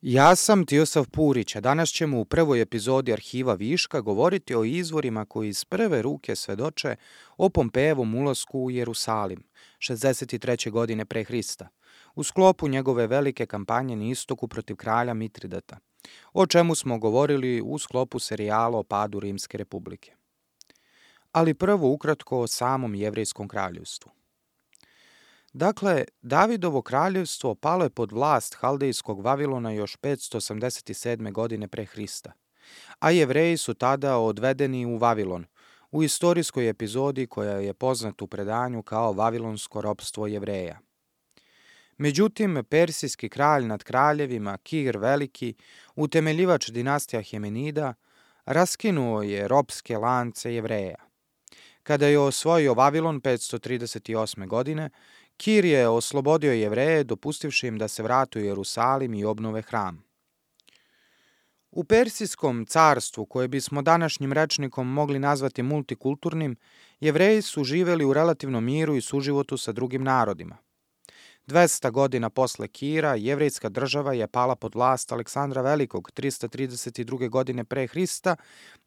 Ja sam Tiosav Purić, a danas ćemo u prvoj epizodi Arhiva Viška govoriti o izvorima koji iz prve ruke svedoče o Pompejevom ulasku u Jerusalim, 63. godine pre Hrista, u sklopu njegove velike kampanje na istoku protiv kralja Mitridata, o čemu smo govorili u sklopu serijala o padu Rimske republike. Ali prvo ukratko o samom jevrejskom kraljevstvu. Dakle, Davidovo kraljevstvo palo je pod vlast Haldejskog Vavilona još 587. godine pre Hrista, a Jevreji su tada odvedeni u Vavilon, u istorijskoj epizodi koja je poznata u predanju kao Vavilonsko ropstvo Jevreja. Međutim, persijski kralj nad kraljevima, Kir Veliki, utemeljivač dinastija Hemenida, raskinuo je ropske lance Jevreja. Kada je osvojio Vavilon 538. godine, Kir je oslobodio Jevreje, dopustivši im da se vrate u Jerusalim i obnove hram. U Persijskom carstvu, koje bismo današnjim rečnikom mogli nazvati multikulturnim, Jevreji su živeli u relativnom miru i suživotu sa drugim narodima. 200 godina posle Kira, jevrejska država je pala pod vlast Aleksandra Velikog 332. godine pre Hrista,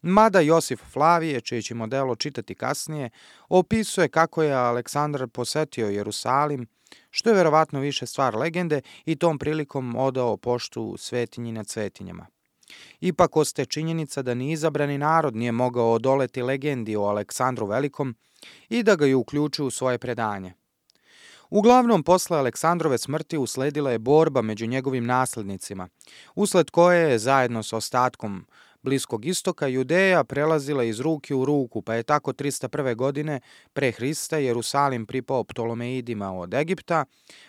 mada Josif Flavije, čije ćemo delo čitati kasnije, opisuje kako je Aleksandar posetio Jerusalim, što je verovatno više stvar legende, i tom prilikom odao poštu svetinji nad svetinjama. Ipak ostaje činjenica da ni izabrani narod nije mogao odoleti legendi o Aleksandru Velikom i da ga je uključio u svoje predanje. Uglavnom, posle Aleksandrove smrti usledila je borba među njegovim naslednicima, usled koje je zajedno sa ostatkom Bliskog istoka Judeja prelazila iz ruke u ruku, pa je tako 301. godine pre Hrista Jerusalim pripao Ptolomeidima od Egipta,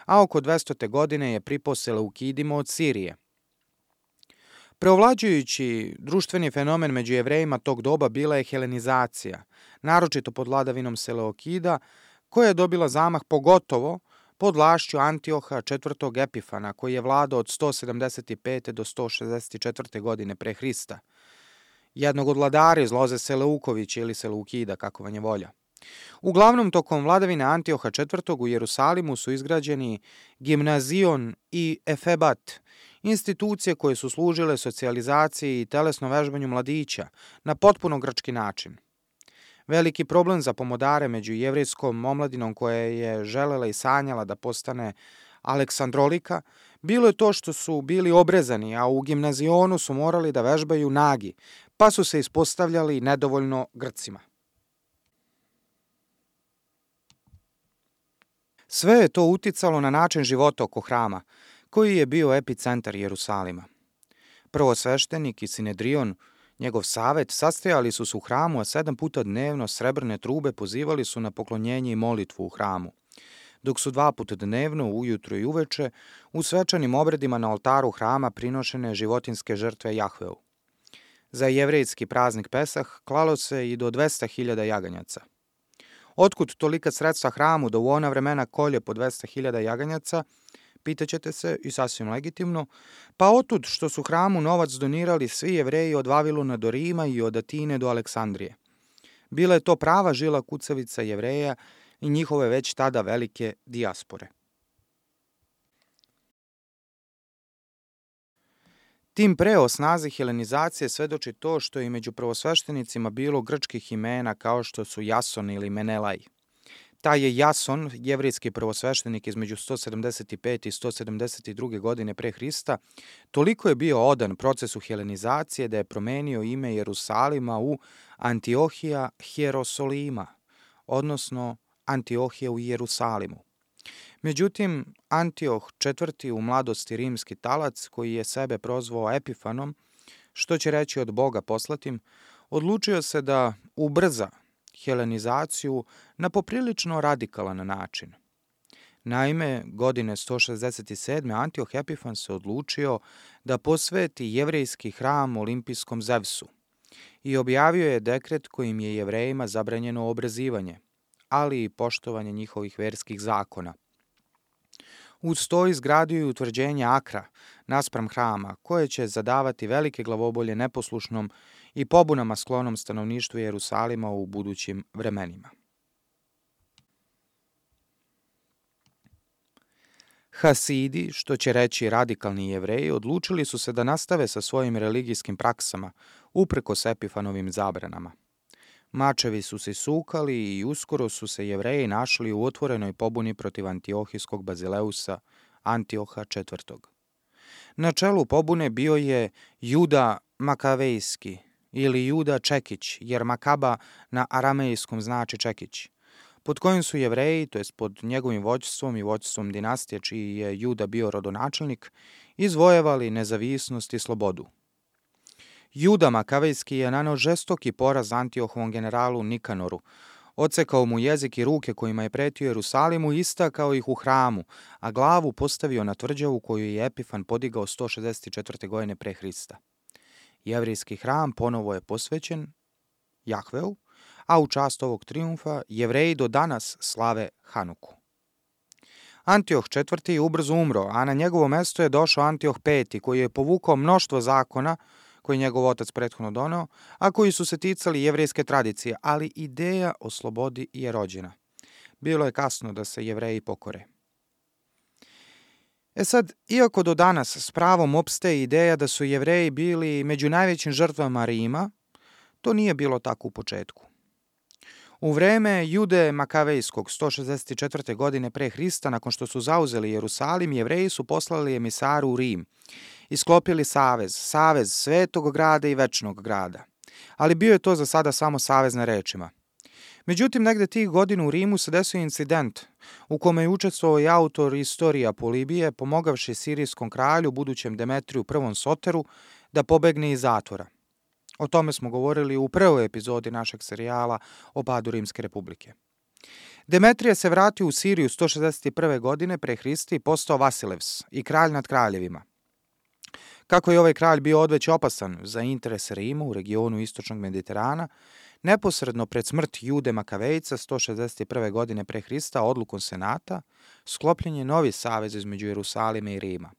a oko 200. godine je pripao Seleukidima od Sirije. Preovlađujući društveni fenomen među Jevrejima tog doba bila je helenizacija, naročito pod vladavinom Seleukida, koja je dobila zamah pogotovo pod vlašću Antioha IV. Epifana, koji je vladao od 175. do 164. godine pre Hrista, jednog od vladara iz loze Seleukovića ili Seleukida, kako vam je volja. Uglavnom, tokom vladavine Antioha IV. U Jerusalimu su izgrađeni Gimnazion i Efebat, institucije koje su služile socijalizaciji i telesnom vežbanju mladića na potpuno grčki način. Veliki problem za pomodare među jevrejskom omladinom koja je želela i sanjala da postane aleksandrolika bilo je to što su bili obrezani, a u gimnazionu su morali da vežbaju nagi, pa su se ispostavljali nedovoljno Grcima. Sve je to uticalo na način života oko hrama, koji je bio epicentar Jerusalima. Prvosveštenik i Sinedrion, njegov savet, sastajali su se u hramu, a 7 puta dnevno srebrne trube pozivali su na poklonjenje i molitvu u hramu, dok su 2 puta dnevno, ujutro i uveče, u svečanim obredima na oltaru hrama prinošene životinjske žrtve Jahveu. Za jevrejski praznik Pesah klalo se i do 200.000 jaganjaca. Otkud tolika sredstva hramu da u ona vremena kolje po 200.000 jaganjaca, pitaćete se, i sasvim legitimno, pa otud što su hramu novac donirali svi Jevreji od Vavilona do Rima i od Atine do Aleksandrije. Bila je to prava žila kucavica Jevreja i njihove već tada velike dijaspore. Tim pre o snazi helenizacije svedoči to što je i među prvosveštenicima bilo grčkih imena kao što su Jason ili Menelaj. Taj je Jason, jevrejski prvosveštenik između 175. i 172. godine pre Hrista, toliko je bio odan procesu helenizacije da je promenio ime Jerusalima u Antiohija Hierosolima, odnosno Antiohija u Jerusalimu. Međutim, Antioh IV. U mladosti rimski talac, koji je sebe prozvao Epifanom, što će reći od Boga poslatim, odlučio se da ubrza helenizaciju na poprilično radikalan način. Naime, godine 167. Antioh Epifan se odlučio da posveti jevrejski hram olimpijskom Zevsu i objavio je dekret kojim je Jevrejima zabranjeno obrezivanje, ali i poštovanje njihovih verskih zakona. Uz to izgradio i utvrđenje Akra naspram hrama, koje će zadavati velike glavobolje neposlušnom i pobunama sklonom stanovništvu Jerusalima u budućim vremenima. Hasidi, što će reći radikalni Jevreji, odlučili su se da nastave sa svojim religijskim praksama, uprkos Epifanovim zabranama. Mačevi su se sukali i uskoro su se Jevreji našli u otvorenoj pobuni protiv antiohijskog bazileusa Antioha IV. Na čelu pobune bio je Juda Makavejski ili Juda Čekić, jer Makaba na aramejskom znači Čekić, pod kojim su Jevreji, to jest pod njegovim vođstvom i vođstvom dinastije čiji je Juda bio rodonačelnik, izvojevali nezavisnost i slobodu. Juda Makavejski je naneo žestoki poraz Antiohovom generalu Nikanoru, odsekao mu jezik i ruke kojima je pretio Jerusalimu i istakao ih u hramu, a glavu postavio na tvrđavu koju je Epifan podigao 164. godine pre Hrista. Jevrijski hram ponovo je posvećen Jahveu, a u čast ovog trijumfa Jevreji do danas slave Hanuku. Antioh IV. Ubrzo umro, a na njegovo mesto je došao Antioh V. koji je povukao mnoštvo zakona koji je njegov otac prethodno doneo, a koji su se ticali jevrejske tradicije, ali ideja o slobodi je rođena. Bilo je kasno da se Jevreji pokore. Sad, iako do danas s pravom opstaje ideja da su Jevreji bili među najvećim žrtvama Rima, to nije bilo tako u početku. U vreme Jude Makavejskog 164. godine pre Hrista, nakon što su zauzeli Jerusalim, Jevreji su poslali emisaru u Rim i sklopili savez svetog grada i večnog grada. Ali bio je to za sada samo savez na rečima. Međutim, negde tih godina u Rimu se desio incident u kome je učestvovao i autor istorija Polibije, pomogavši sirijskom kralju, budućem Demetriju I. Soteru, da pobegne iz zatvora. O tome smo govorili u prvoj epizodi našeg serijala o padu Rimske republike. Demetrije se vratio u Siriju 161. godine pre Hrista i postao Vasilevs i kralj nad kraljevima. Kako je ovaj kralj bio odveć opasan za interese Rima u regionu istočnog Mediterana, neposredno pred smrt Jude Makavejca 161. godine pre Hrista odlukom senata sklopljen je novi savez između Jerusalima i Rima,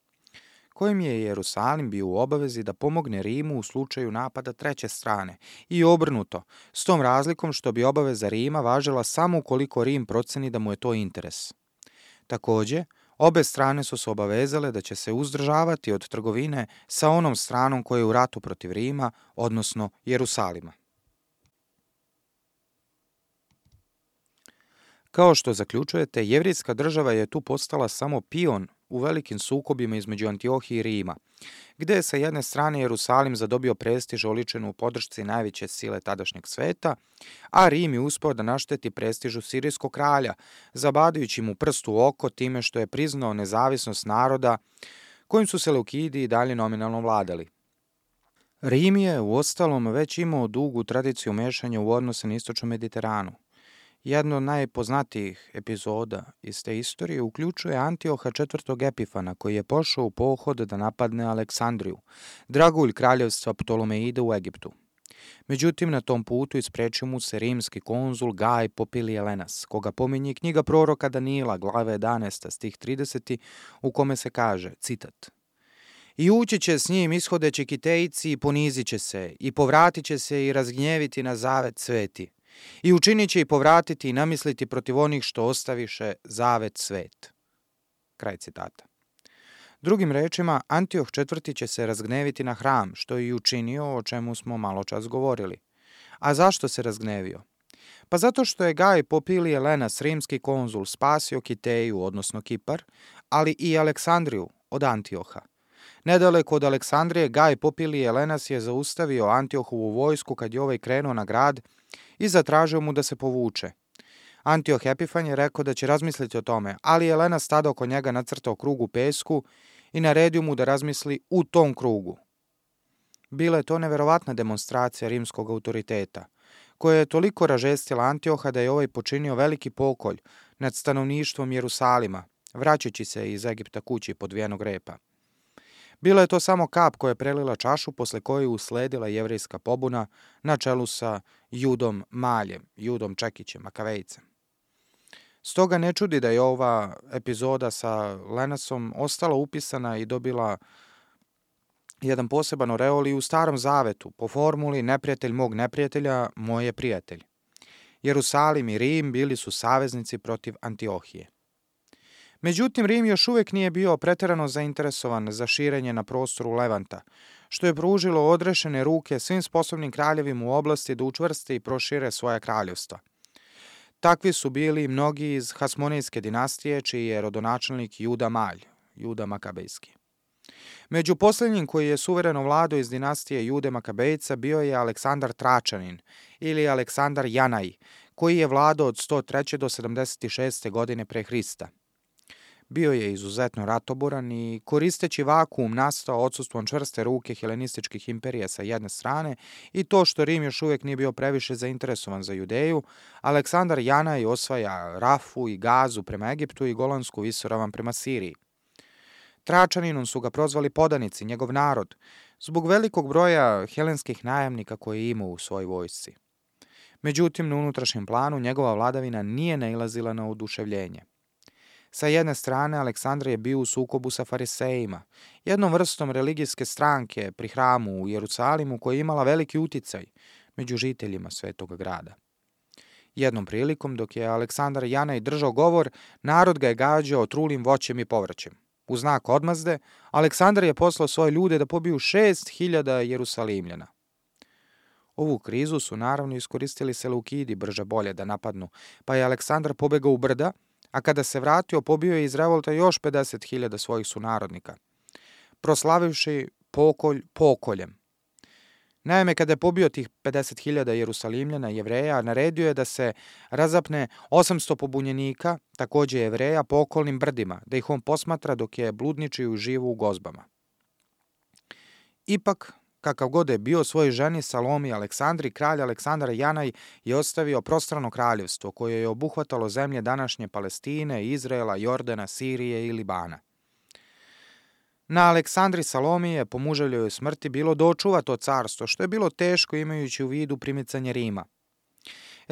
kojim je Jerusalim bio u obavezi da pomogne Rimu u slučaju napada treće strane i obrnuto, s tom razlikom što bi obaveza Rima važila samo ukoliko Rim proceni da mu je to interes. Takođe, obe strane su se obavezale da će se uzdržavati od trgovine sa onom stranom koja je u ratu protiv Rima, odnosno Jerusalima. Kao što zaključujete, jevrijska država je tu postala samo pion u velikim sukobima između Antiohije i Rima, gde je sa jedne strane Jerusalim zadobio prestiž oličen u podršci najveće sile tadašnjeg sveta, a Rim je uspeo da našteti prestižu sirijskog kralja, zabadajući mu prst u oko time što je priznao nezavisnost naroda kojim su Seleukidi i dalje nominalno vladali. Rim je, uostalom, već imao dugu tradiciju mešanja u odnose na istočnom Mediteranu. Jedna od najpoznatijih epizoda iz te istorije uključuje Antioha IV. Epifana, koji je pošao u pohod da napadne Aleksandriju, dragulj kraljevstva Ptolomeida u Egiptu. Međutim, na tom putu isprečio mu se rimski konzul Gaj Popilije Lenas, koga pominje knjiga proroka Danila, glava 11, stih 30, u kome se kaže, citat: "I ući će s njim ishodeći Kitejci i ponizit će se, i povratit će se i razgnjeviti na zavet sveti. I učinit će i povratiti i namisliti protiv onih što ostaviše zavet svet." Kraj citata. Drugim rečima, Antioh IV. Će se razgneviti na hram, što je i učinio, o čemu smo malo čas govorili. A zašto se razgnevio? Pa zato što je Gaj Popilije Lenas, rimski konzul, spasio Kiteju, odnosno Kipar, ali i Aleksandriju od Antioha. Nedaleko od Aleksandrije, Gaj Popilije Lenas je zaustavio Antiohovu vojsku kad je ovaj krenuo na grad i zatražio mu da se povuče. Antioh Epifan je rekao da će razmisliti o tome, ali je Lenas tada oko njega nacrtao krug u pesku i naredio mu da razmisli u tom krugu. Bila je to neverovatna demonstracija rimskog autoriteta, koja je toliko ražestila Antioha da je ovaj počinio veliki pokolj nad stanovništvom Jerusalima, vraćajući se iz Egipta kući podvijenog repa. Bila je to samo kap koja je prelila čašu, posle koje je usledila jevrejska pobuna na čelu sa Judom Maljem, Judom Čekićem, Makavejcem. Stoga ne čudi da je ova epizoda sa Lenasom ostala upisana i dobila jedan poseban oreol i u Starom zavetu, po formuli neprijatelj mog neprijatelja, moj je prijatelj. Jerusalim i Rim bili su saveznici protiv Antiohije. Međutim, Rim još uvijek nije bio preterano zainteresovan za širenje na prostoru Levanta, što je pružilo odrešene ruke svim sposobnim kraljevima u oblasti da učvrste i prošire svoja kraljevstva. Takvi su bili mnogi iz Hasmonejske dinastije, čiji je rodonačelnik Juda Malj, Juda Makabejski. Među posljednjim koji je suvereno vladao iz dinastije Jude Makabejca bio je Aleksandar Tračanin ili Aleksandar Janaj, koji je vladao od 103. do 76. godine pre Hrista. Bio je izuzetno ratoboran i koristeći vakuum nastao odsustvom čvrste ruke helenističkih imperija sa jedne strane i to što Rim još uvijek nije bio previše zainteresovan za Judeju, Aleksandar Janaj osvaja Rafu i Gazu prema Egiptu i Golansku visoravan prema Siriji. Tračaninom su ga prozvali podanici, njegov narod, zbog velikog broja helenskih najamnika koje je imao u svojoj vojsci. Međutim, na unutrašnjem planu njegova vladavina nije nailazila na oduševljenje. Sa jedne strane, Aleksandar je bio u sukobu sa farisejima, jednom vrstom religijske stranke pri hramu u Jerusalimu koja je imala veliki uticaj među žiteljima svetog grada. Jednom prilikom, dok je Aleksandar Janaj držao govor, narod ga je gađao trulim voćem i povrćem. U znak odmazde, Aleksandar je poslao svoje ljude da pobiju 6.000 Jerusalimljana. Ovu krizu su naravno iskoristili Seleukidi brže bolje da napadnu, pa je Aleksandar pobegao u brda, a kada se vratio pobio je iz revolta još 50.000 svojih sunarodnika, proslavivši pokolj pokoljem. Naime, kada je pobio tih 50.000 Jerusalimljana Jevreja, naredio je da se razapne 800 pobunjenika, takođe Jevreja, po okolnim brdima, da ih on posmatra dok je bludničio živu u gozbama. Ipak, kakav god je bio svoj ženi Salomi Aleksandri, kralj Aleksandar Janaj je ostavio prostrano kraljevstvo koje je obuhvatalo zemlje današnje Palestine, Izraela, Jordana, Sirije i Libana. Na Aleksandri Salomi je po muževljoj smrti bilo da očuva to carstvo, što je bilo teško imajući u vidu primicanje Rima.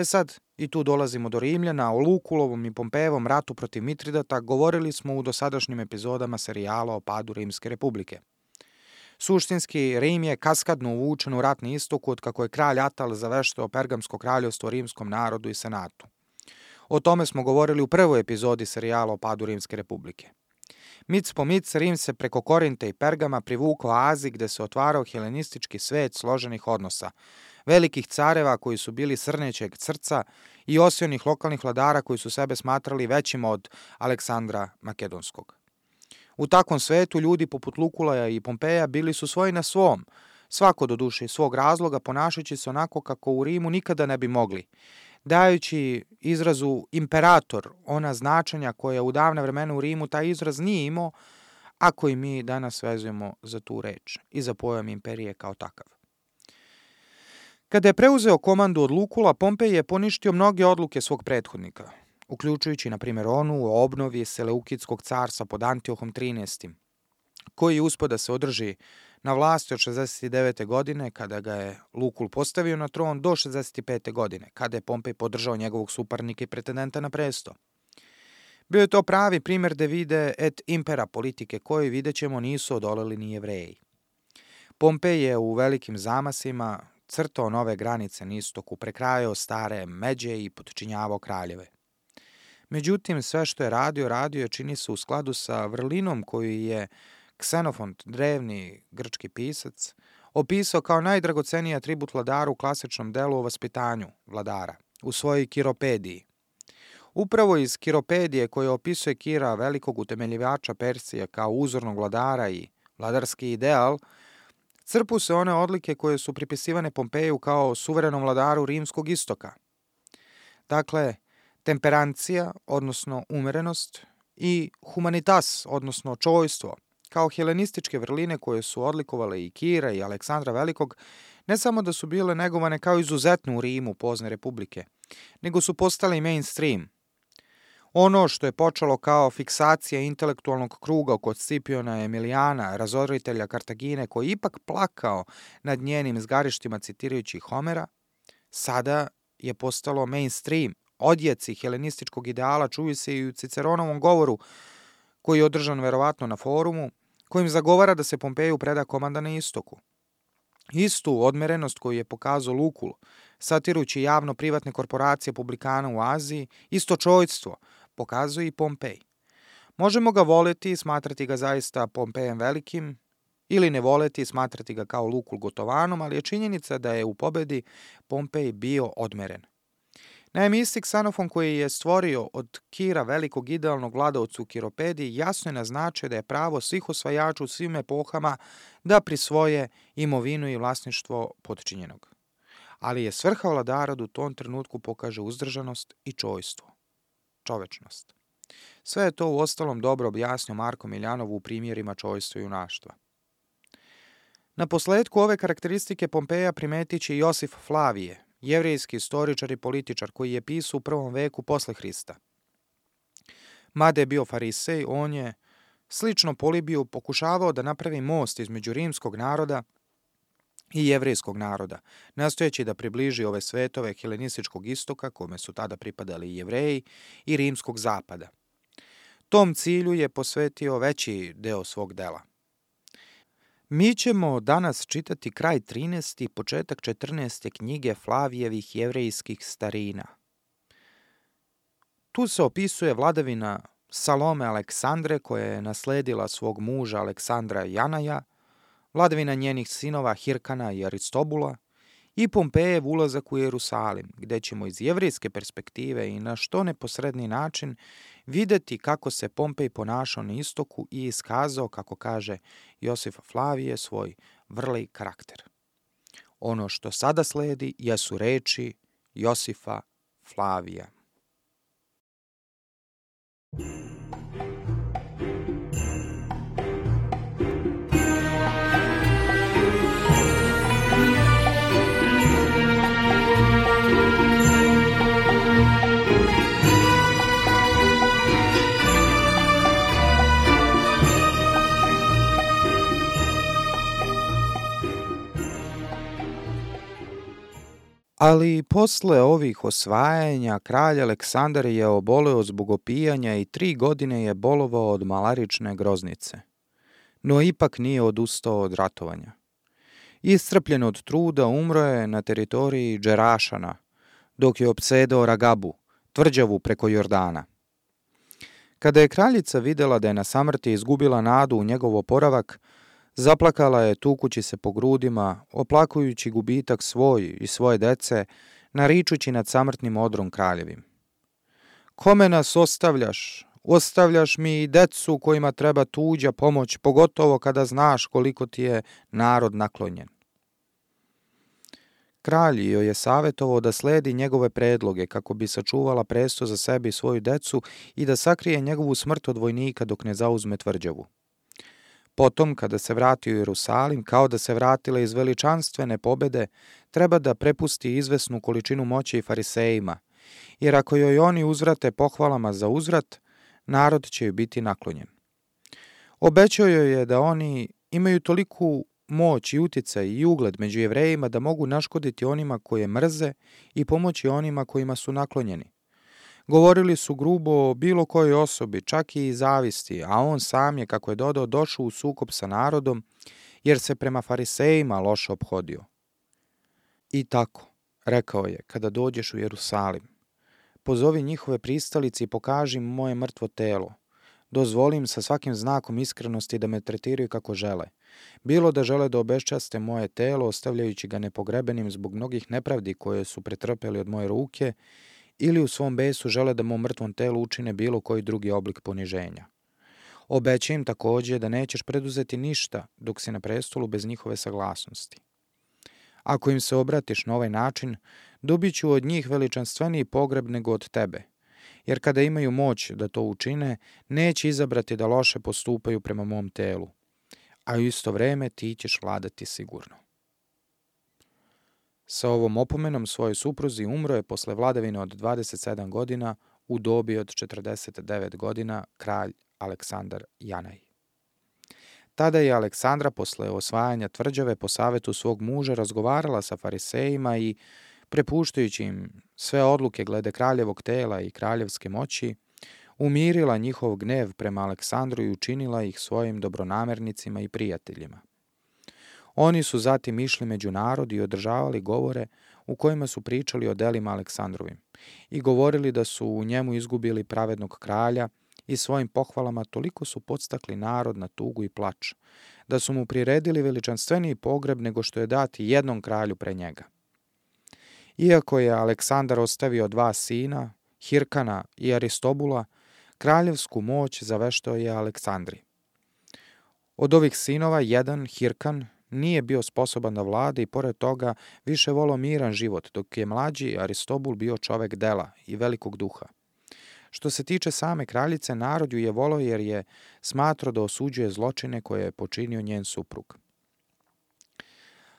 Sad, i tu dolazimo do Rimljana, o Lukulovom i Pompejevom ratu protiv Mitridata govorili smo u dosadašnjim epizodama serijala o padu Rimske republike. Suštinski, Rim je kaskadno uvučen u rat na istoku od kako je kralj Atal zaveštao Pergamsko kraljevstvo rimskom narodu i senatu. O tome smo govorili u prvoj epizodi serijala o padu Rimske republike. Mic po mic, Rim se preko Korinta i Pergama privukao Aziji gde se otvarao helenistički svet složenih odnosa, velikih careva koji su bili srnećeg srca i osionih lokalnih vladara koji su sebe smatrali većima od Aleksandra Makedonskog. U takvom svetu ljudi poput Lukulaja i Pompeja bili su svoji na svom, svako do duše iz svog razloga ponašajući se onako kako u Rimu nikada ne bi mogli, dajući izrazu imperator ona značenja koja u davne vremena u Rimu taj izraz nije imao, a koji mi danas vezujemo za tu reč i za pojam imperije kao takav. Kada je preuzeo komandu od Lukula, Pompej je poništio mnoge odluke svog prethodnika, uključujući, na primjer, onu o obnovi Seleukidskog carstva pod Antiohom 13. koji je uspio da se održi na vlasti od 69. godine, kada ga je Lukul postavio na tron, do 65. godine, kada je Pompej podržao njegovog suparnika i pretendenta na presto. Bio je to pravi primjer divide et impera politike, koje, vidjet ćemo, nisu odoleli ni Jevreji. Pompej je u velikim zamasima crtao nove granice na istoku, prekrajao stare međe i potčinjavao kraljeve. Međutim, sve što je radio je, čini se, u skladu sa vrlinom koju je Ksenofont, drevni grčki pisac, opisao kao najdragoceniji atribut vladara u klasičnom delu o vaspitanju vladara, u svojoj Kiropediji. Upravo iz Kiropedije, koja opisuje Kira, velikog utemeljivača Persije, kao uzornog vladara i vladarski ideal, crpu se one odlike koje su pripisivane Pompeju kao suverenom vladaru rimskog istoka. Dakle, temperancija, odnosno umerenost, i humanitas, odnosno čojstvo, kao helenističke vrline koje su odlikovale i Kira i Aleksandra Velikog, ne samo da su bile negovane kao izuzetno u Rimu pozne republike, nego su postale mainstream. Ono što je počelo kao fiksacija intelektualnog kruga kod Scipiona Emilijana, razoritelja Kartagine, koji je ipak plakao nad njenim zgarištima citirajući Homera, sada je postalo mainstream. Odjeci helenističkog ideala čuju se i u Ciceronovom govoru, koji je održan verovatno na forumu, kojim zagovara da se Pompeju preda komanda na istoku. Istu odmerenost koju je pokazao Lukul, satirujući javno privatne korporacije publikana u Aziji, isto čojstvo pokazuje i Pompej. Možemo ga voleti i smatrati ga zaista Pompejem velikim, ili ne voleti i smatrati ga kao Lukul Gotovanom, ali je činjenica da je u pobedi Pompej bio odmeren. Naime, isti Ksenofon koji je stvorio od Kira velikog idealnog vladaoca u Kiropediji jasno je naznačio da je pravo svih osvajača u svim epohama da prisvoje imovinu i vlasništvo potčinjenog. Ali je svrha vladara da u tom trenutku pokaže uzdržanost i čovečnost. Sve je to u ostalom dobro objasnio Marko Miljanov u primjerima čojstva i junaštva. Na posledku ove karakteristike Pompeja primetit će Josif Flavije, jevrejski istoričar i političar koji je pisao u 1. veku posle Hrista. Mada je bio farisej, on je, slično Polibiju, pokušavao da napravi most između rimskog naroda i jevrejskog naroda, nastojeći da približi ove svetove helenističkog istoka, kome su tada pripadali i Jevreji, i rimskog zapada. Tom cilju je posvetio veći deo svog dela. Mi ćemo danas čitati kraj 13. i početak 14. knjige Flavijevih jevrejskih starina. Tu se opisuje vladavina Salome Aleksandre, koja je nasledila svog muža Aleksandra Janaja, vladavina njenih sinova Hirkana i Aristobula i Pompejev ulazak u Jerusalim, gde ćemo iz jevrejske perspektive i na što neposredni način videti kako se Pompej ponašao na istoku i iskazao, kako kaže Josif Flavije, svoj vrli karakter. Ono što sada sledi jesu reči Josifa Flavija. Ali posle ovih osvajanja kralj Aleksandar je oboleo zbog opijanja i 3 godine je bolovao od malarične groznice. No ipak nije odustao od ratovanja. Iscrpljen od truda umro je na teritoriji Džerašana, dok je opsedao Ragabu, tvrđavu preko Jordana. Kada je kraljica videla da je na samrti izgubila nadu u njegov oporavak, zaplakala je tukući se po grudima, oplakujući gubitak svoj i svoje dece, naričući nad samrtnim odrom kraljevim. Kome nas ostavljaš? Ostavljaš mi i decu kojima treba tuđa pomoć, pogotovo kada znaš koliko ti je narod naklonjen. Kralj joj je savjetovao da sledi njegove predloge kako bi sačuvala presto za sebe i svoju decu i da sakrije njegovu smrt od vojnika dok ne zauzme tvrđavu. Potom, kada se vrati u Jerusalim, kao da se vratila iz veličanstvene pobede, treba da prepusti izvesnu količinu moći i farisejima, jer ako joj oni uzvrate pohvalama za uzvrat, narod će joj biti naklonjen. Obećao joj je da oni imaju toliku moć i uticaj i ugled među Jevrejima da mogu naškoditi onima koje mrze i pomoći onima kojima su naklonjeni. Govorili su grubo o bilo kojoj osobi, čak i zavisti, a on sam je, kako je dodao, došao u sukob sa narodom, jer se prema farisejima loše ophodio. I tako, rekao je, kada dođeš u Jerusalim, pozovi njihove pristalice i pokaži im moje mrtvo telo. Dozvolim sa svakim znakom iskrenosti da me tretiraju kako žele. Bilo da žele da obeščaste moje telo, ostavljajući ga nepogrebenim zbog mnogih nepravdi koje su pretrpeli od moje ruke, ili u svom besu žele da mom mrtvom telu učine bilo koji drugi oblik poniženja. Obećaj im takođe da nećeš preduzeti ništa dok si na prestolu bez njihove saglasnosti. Ako im se obratiš na ovaj način, dobit ću od njih veličanstveniji pogreb nego od tebe, jer kada imaju moć da to učine, neće izabrati da loše postupaju prema mom telu, a u isto vreme ti ćeš vladati sigurno. Sa ovom opomenom svojoj supruzi umro je posle vladavine od 27 godina u dobi od 49 godina kralj Aleksandar Janaj. Tada je Aleksandra posle osvajanja tvrđave po savetu svog muža razgovarala sa farisejima i, prepuštajući im sve odluke glede kraljevog tela i kraljevske moći, umirila njihov gnev prema Aleksandru i učinila ih svojim dobronamernicima i prijateljima. Oni su zatim išli među narod i održavali govore u kojima su pričali o delima Aleksandrovim i govorili da su u njemu izgubili pravednog kralja i svojim pohvalama toliko su podstakli narod na tugu i plač, da su mu priredili veličanstveniji pogreb nego što je dati jednom kralju pre njega. Iako je Aleksandar ostavio 2 sina, Hirkana i Aristobula, kraljevsku moć zaveštao je Aleksandri. Od ovih sinova jedan, Hirkan, nije bio sposoban da vlada i pored toga više voleo miran život, dok je mlađi Aristobul bio čovek dela i velikog duha. Što se tiče same kraljice, narod ju je voleo jer je smatrao da osuđuje zločine koje je počinio njen suprug.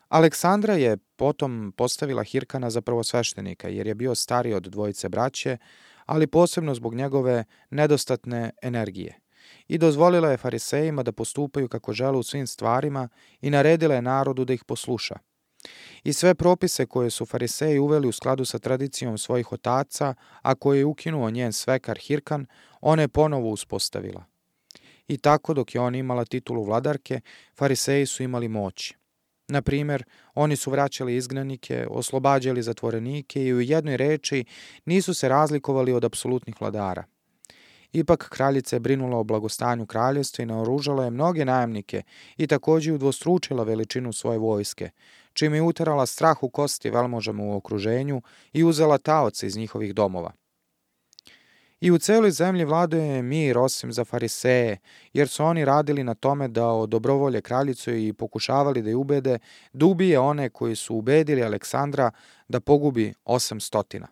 Aleksandra je potom postavila Hirkana za prvosveštenika jer je bio stariji od dvojice braće, ali posebno zbog njegove nedostatne energije. I dozvolila je farisejima da postupaju kako žele u svim stvarima i naredila je narodu da ih posluša. I sve propise koje su fariseji uveli u skladu sa tradicijom svojih otaca, a koje je ukinuo njen svekar Hirkan, ona je ponovo uspostavila. I tako dok je ona imala titulu vladarke, fariseji su imali moć. Na primjer, oni su vraćali izgnanike, oslobađali zatvorenike i u jednoj reči nisu se razlikovali od apsolutnih vladara. Ipak kraljica je brinula o blagostanju kraljevstva i naoružala je mnoge najamnike i također udvostručila veličinu svoje vojske, čime je uterala strah u kosti velmožama u okruženju i uzela taoce iz njihovih domova. I u celoj zemlji vladao je mir osim za fariseje, jer su oni radili na tome da odobrovolje kraljicu i pokušavali da je ubede da ubije one koji su ubedili Aleksandra da pogubi 800.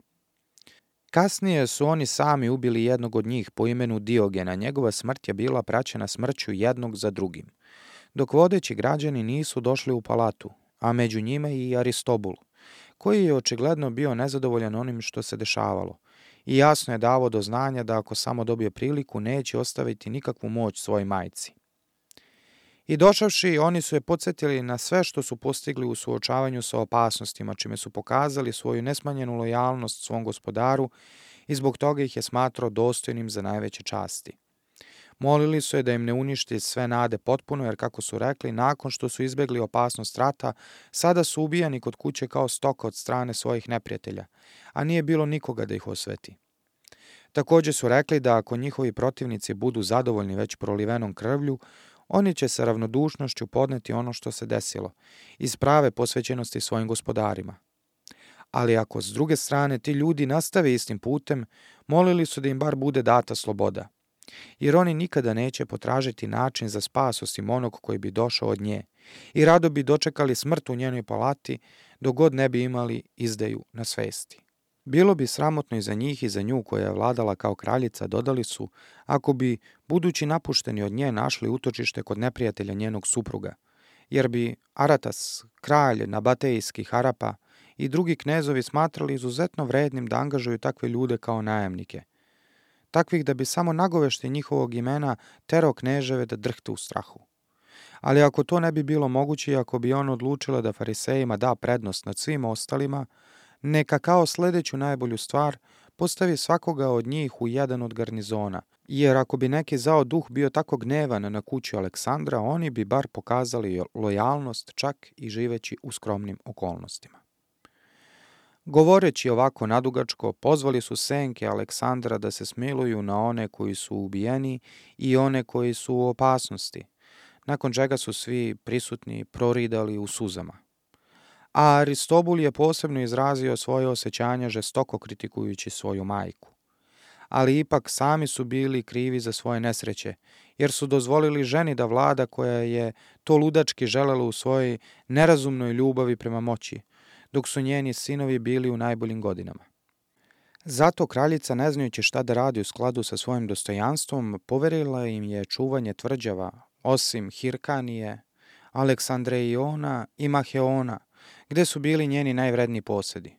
Kasnije su oni sami ubili jednog od njih po imenu Diogena. Njegova smrt je bila praćena smrću jednog za drugim, dok vodeći građani nisu došli u palatu, a među njima i Aristobul, koji je očigledno bio nezadovoljan onim što se dešavalo i jasno je davao do znanja da ako samo dobije priliku neće ostaviti nikakvu moć svojoj majci. I došavši, oni su je podsjetili na sve što su postigli u suočavanju sa opasnostima, čime su pokazali svoju nesmanjenu lojalnost svom gospodaru i zbog toga ih je smatrao dostojnim za najveće časti. Molili su je da im ne uništi sve nade potpuno, jer kako su rekli, nakon što su izbegli opasnost rata, sada su ubijani kod kuće kao stoka od strane svojih neprijatelja, a nije bilo nikoga da ih osveti. Također su rekli da ako njihovi protivnici budu zadovoljni već prolivenom krvlju, oni će sa ravnodušnošću podneti ono što se desilo, iz prave posvećenosti svojim gospodarima. Ali ako s druge strane ti ljudi nastave istim putem, molili su da im bar bude data sloboda, jer oni nikada neće potražiti način za spas osim onog koji bi došao od nje i rado bi dočekali smrt u njenoj palati dok god ne bi imali izdaju na svesti. Bilo bi sramotno i za njih i za nju koja je vladala kao kraljica, dodali su, ako bi, budući napušteni od nje, našli utočište kod neprijatelja njenog supruga, jer bi Aratas, kralj nabatejskih Arapa i drugi knezovi smatrali izuzetno vrednim da angažuju takve ljude kao najamnike, takvih da bi samo nagoveštaj njihovog imena terao kneževe da drhte u strahu. Ali ako to ne bi bilo moguće i ako bi on odlučila da farisejima da prednost nad svim ostalima, neka kao sljedeću najbolju stvar postavi svakoga od njih u jedan od garnizona, jer ako bi neki zao duh bio tako gnevan na kuću Aleksandra, oni bi bar pokazali lojalnost čak i živeći u skromnim okolnostima. Govoreći ovako nadugačko, pozvali su senke Aleksandra da se smiluju na one koji su ubijeni i one koji su u opasnosti, nakon čega su svi prisutni proridali u suzama. A Aristobul je posebno izrazio svoje osjećanja žestoko kritikujući svoju majku. Ali ipak sami su bili krivi za svoje nesreće, jer su dozvolili ženi da vlada koja je to ludački želela u svojoj nerazumnoj ljubavi prema moći, dok su njeni sinovi bili u najboljim godinama. Zato kraljica, ne znajući šta da radi u skladu sa svojim dostojanstvom, poverila im je čuvanje tvrđava, osim Hirkanije, Aleksandreiona i Maheona, gde su bili njeni najvredniji posedi.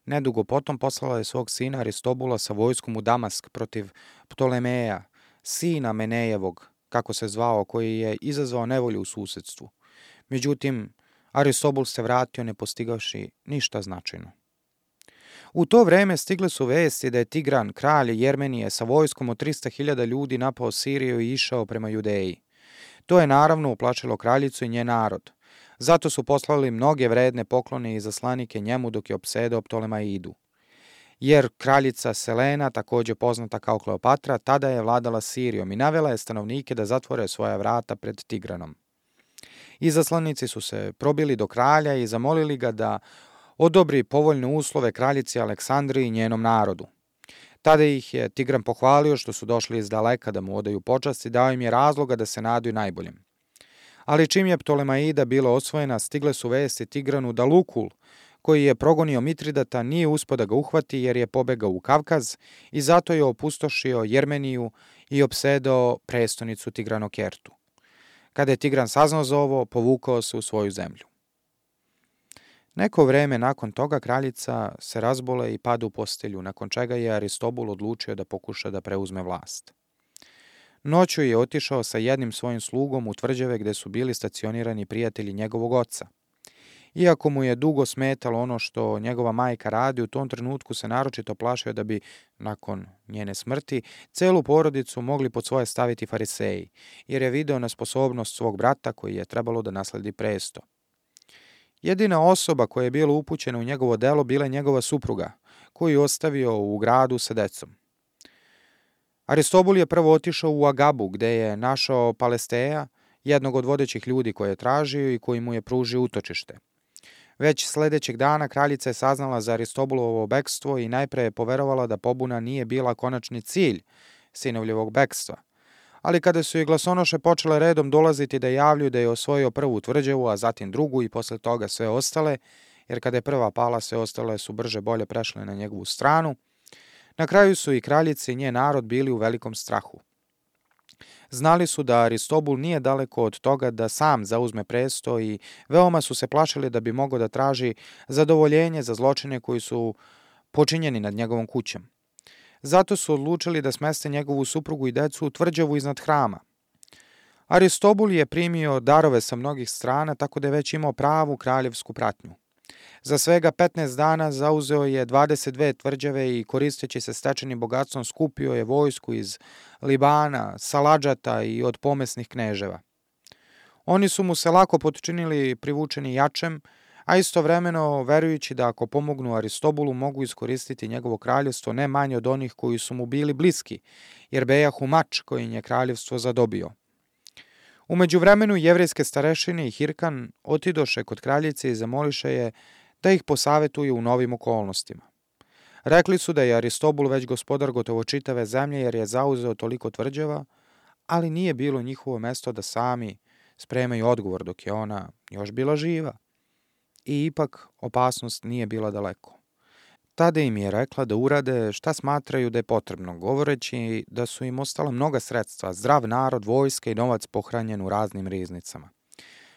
Nedugo potom poslala je svog sina Aristobula sa vojskom u Damask protiv Ptolemeja, sina Menejevog, kako se zvao, koji je izazvao nevolju u susedstvu. Međutim, Aristobul se vratio ne postigavši ništa značajno. U to vreme stigle su vesti da je Tigran, kralj Jermenije, sa vojskom od 300.000 ljudi napao Siriju i išao prema Judeji. To je naravno uplašilo kraljicu i njen narod. Zato su poslali mnoge vredne poklone i zaslanike njemu dok je opsedao Ptolemaidu. jer kraljica Selena, također poznata kao Kleopatra, tada je vladala Sirijom i navela je stanovnike da zatvore svoja vrata pred Tigranom. Izaslanici su se probili do kralja i zamolili ga da odobri povoljne uslove kraljici Aleksandri i njenom narodu. Tada ih je Tigran pohvalio što su došli iz daleka da mu odaju počast i dao im je razloga da se nadaju najboljem. Ali čim je Ptolemaida bila osvojena, stigle su vesti Tigranu da Lukul, koji je progonio Mitridata, nije uspio da ga uhvati jer je pobegao u Kavkaz i zato je opustošio Jermeniju i opsedao prestonicu Tigranokertu. Kada je Tigran saznao za ovo, povukao se u svoju zemlju. Neko vreme nakon toga kraljica se razbole i pada u postelju, nakon čega je Aristobul odlučio da pokuša da preuzme vlast. Noću je otišao sa jednim svojim slugom u tvrđave gde su bili stacionirani prijatelji njegovog oca. Iako mu je dugo smetalo ono što njegova majka radi, u tom trenutku se naročito plašio da bi, nakon njene smrti, celu porodicu mogli pod svoje staviti fariseji, jer je video nesposobnost svog brata koji je trebalo da nasledi presto. Jedina osoba koja je bila upućena u njegovo delo bila je njegova supruga, koju je ostavio u gradu sa decom. Aristobul je prvo otišao u Agabu, gde je našao Palesteja, jednog od vodećih ljudi koje je tražio i koji mu je pružio utočište. Već sledećeg dana kraljica je saznala za Aristobulovo bekstvo i najpre je poverovala da pobuna nije bila konačni cilj sinovljevog bekstva. Ali kada su i glasonoše počele redom dolaziti da javljaju da je osvojio prvu tvrđavu, a zatim drugu i posle toga sve ostale, jer kada je prva pala, sve ostale su brže bolje prešle na njegovu stranu, na kraju su i kraljica i njen narod bili u velikom strahu. Znali su da Aristobul nije daleko od toga da sam zauzme presto i veoma su se plašili da bi mogao da traži zadovoljenje za zločine koji su počinjeni nad njegovom kućom. Zato su odlučili da smeste njegovu suprugu i decu u tvrđavu iznad hrama. Aristobul je primio darove sa mnogih strana, tako da je već imao pravu kraljevsku pratnju. Za svega 15 dana zauzeo je 22 tvrđave i koristeći se stečenim bogatstvom skupio je vojsku iz Libana, Saladžata i od pomesnih kneževa. Oni su mu se lako potčinili privučeni jačem, a istovremeno verujući da ako pomognu Aristobulu mogu iskoristiti njegovo kraljevstvo ne manje od onih koji su mu bili bliski, jer bejahu mač kojim je kraljevstvo zadobio. U međuvremenu jevrejske starešine i Hirkan otidoše kod kraljice i zamoliše je da ih posavetuje u novim okolnostima. Rekli su da je Aristobul već gospodar gotovo čitave zemlje jer je zauzeo toliko tvrđava, ali nije bilo njihovo mesto da sami spremaju odgovor dok je ona još bila živa. I ipak opasnost nije bila daleko. Tada im je rekla da urade šta smatraju da je potrebno, govoreći da su im ostala mnoga sredstva, zdrav narod, vojska i novac pohranjen u raznim riznicama.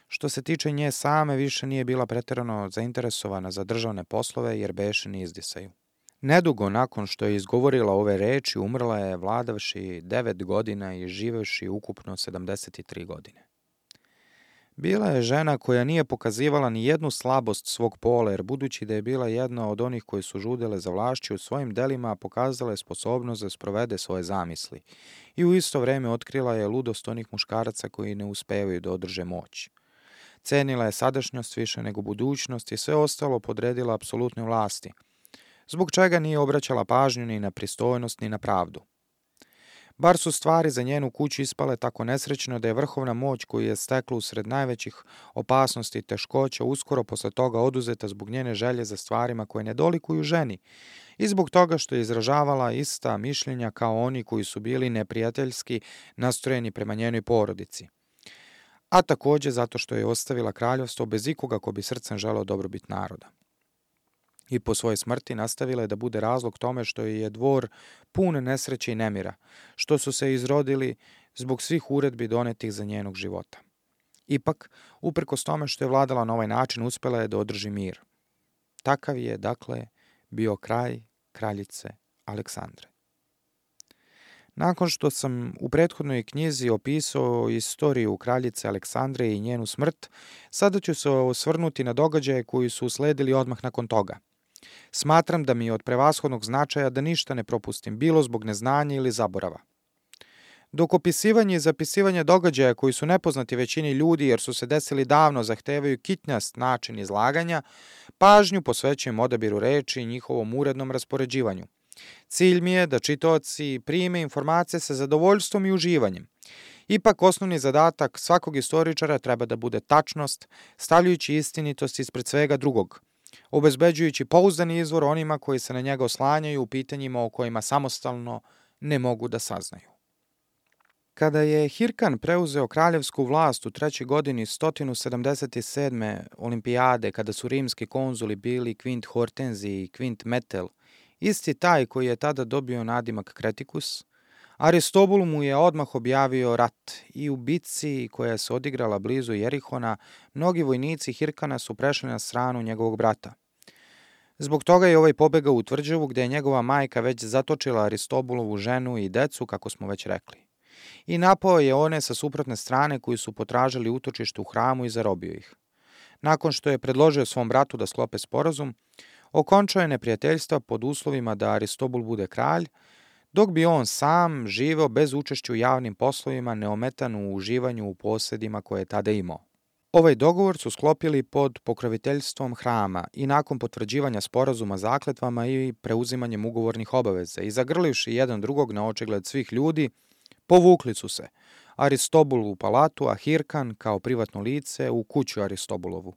Što se tiče nje same, više nije bila preterano zainteresovana za državne poslove jer beše ni izdisaju. Nedugo nakon što je izgovorila ove reči, umrla je vladavši 9 godina i živevši ukupno 73 godine. Bila je žena koja nije pokazivala ni jednu slabost svog pola, jer budući da je bila jedna od onih koji su žudele za vlašću, u svojim delima pokazala je sposobnost da sprovede svoje zamisli i u isto vreme otkrila je ludost onih muškaraca koji ne uspevaju da održe moć. Cenila je sadašnjost više nego budućnost i sve ostalo podredila apsolutnoj vlasti, zbog čega nije obraćala pažnju ni na pristojnost ni na pravdu. Bar su stvari za njenu kuću ispale tako nesrećno da je vrhovna moć koju je stekla usred najvećih opasnosti i teškoća uskoro posle toga oduzeta zbog njene želje za stvarima koje ne dolikuju ženi i zbog toga što je izražavala ista mišljenja kao oni koji su bili neprijateljski nastrojeni prema njenoj porodici. A takođe zato što je ostavila kraljevstvo bez ikoga ko bi srcem želeo dobrobit naroda. I po svojoj smrti nastavila je da bude razlog tome što je dvor pun nesreće i nemira, što su se izrodili zbog svih uredbi donetih za njenog života. Ipak, uprkos tome što je vladala na ovaj način, uspela je da održi mir. Takav je, dakle, bio kraj kraljice Aleksandre. Nakon što sam u prethodnoj knjizi opisao istoriju kraljice Aleksandre i njenu smrt, sada ću se osvrnuti na događaje koji su usledili odmah nakon toga. Smatram da mi je od prevashodnog značaja da ništa ne propustim, bilo zbog neznanja ili zaborava. Dok opisivanje i zapisivanje događaja koji su nepoznati većini ljudi jer su se desili davno zahtevaju kitnjast način izlaganja, pažnju posvećujem odabiru reči i njihovom urednom raspoređivanju. Cilj mi je da čitaoci prime informacije sa zadovoljstvom i uživanjem. Ipak osnovni zadatak svakog istoričara treba da bude tačnost, stavljajući istinitost ispred svega drugog, obezbeđujući pouzdani izvor onima koji se na njega oslanjaju u pitanjima o kojima samostalno ne mogu da saznaju. Kada je Hirkan preuzeo kraljevsku vlast u 3. godini 177. olimpijade, kada su rimski konzuli bili Quint Hortenzi i Quint Metel, isti taj koji je tada dobio nadimak Kretikus, Aristobul mu je odmah objavio rat i u bitci koja se odigrala blizu Jerihona, mnogi vojnici Hirkana su prešli na stranu njegovog brata. Zbog toga je ovaj pobegao u tvrđavu gde je njegova majka već zatočila Aristobulovu ženu i decu, kako smo već rekli. I napao je one sa suprotne strane koji su potražili utočište u hramu i zarobio ih. Nakon što je predložio svom bratu da sklope sporazum, okončao je neprijateljstva pod uslovima da Aristobul bude kralj, dok bi on sam živeo bez učešća u javnim poslovima, neometan u uživanju u posedima koje je tada imao. Ovaj dogovor su sklopili pod pokroviteljstvom hrama i nakon potvrđivanja sporazuma zakletvama i preuzimanjem ugovornih obaveza i zagrlivši jedan drugog na očigled svih ljudi, povukli su se, Aristobul u palatu, a Hirkan kao privatno lice u kuću Aristobulovu.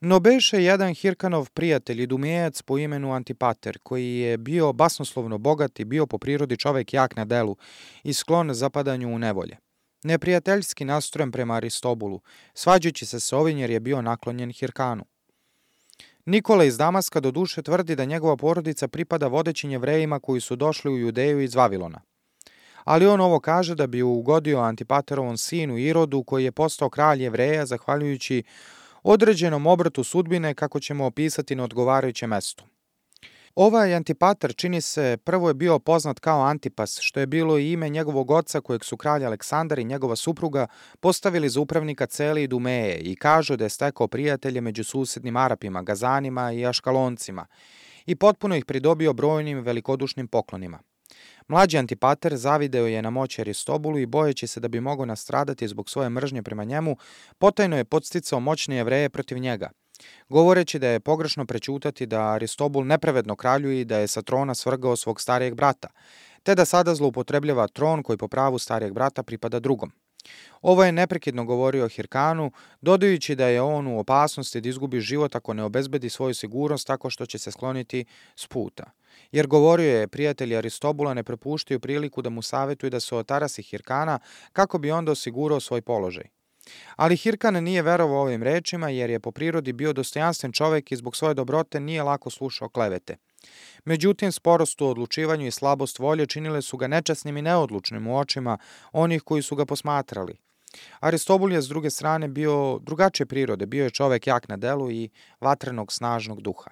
No beše jedan Hirkanov prijatelj i dumijejac po imenu Antipater, koji je bio basnoslovno bogat i bio po prirodi čovek jak na delu i sklon zapadanju u nevolje. Neprijateljski nastrojen prema Aristobulu, svađajući se s ovim jer je bio naklonjen Hirkanu. Nikola iz Damaska doduše tvrdi da njegova porodica pripada vodećim Jevrejima koji su došli u Judeju iz Vavilona. Ali on ovo kaže da bi ugodio Antipaterovom sinu Irodu, koji je postao kralj Jevreja zahvaljujući određenom obratu sudbine, kako ćemo opisati na odgovarajućem mestu. Ovaj Antipater, čini se, prvo je bio poznat kao Antipas, što je bilo i ime njegovog oca kojeg su kralj Aleksandar i njegova supruga postavili za upravnika cele Idumeje i kažu da je stekao prijatelje među susednim Arapima, Gazanima i Aškaloncima i potpuno ih pridobio brojnim velikodušnim poklonima. Mlađi Antipater zavideo je na moći Aristobulu i bojeći se da bi mogao nastradati zbog svoje mržnje prema njemu, potajno je podsticao moćne Jevreje protiv njega, govoreći da je pogrešno prećutati da Aristobul nepravedno kraljuje i da je sa trona svrgao svog starijeg brata, te da sada zloupotrebljava tron koji po pravu starijeg brata pripada drugom. Ovo je neprekidno govorio Hirkanu, dodajući da je on u opasnosti da izgubi život ako ne obezbedi svoju sigurnost tako što će se skloniti s puta. Jer govorio je, prijatelji Aristobula ne prepuštaju priliku da mu savjetuju da se otarasi Hirkana kako bi onda osigurao svoj položaj. Ali Hirkan nije verovao ovim rečima jer je po prirodi bio dostojanstven čovek i zbog svoje dobrote nije lako slušao klevete. Međutim, sporost u odlučivanju i slabost volje činile su ga nečasnim i neodlučnim u očima onih koji su ga posmatrali. Aristobul je s druge strane bio drugačije prirode, bio je čovek jak na delu i vatrenog snažnog duha.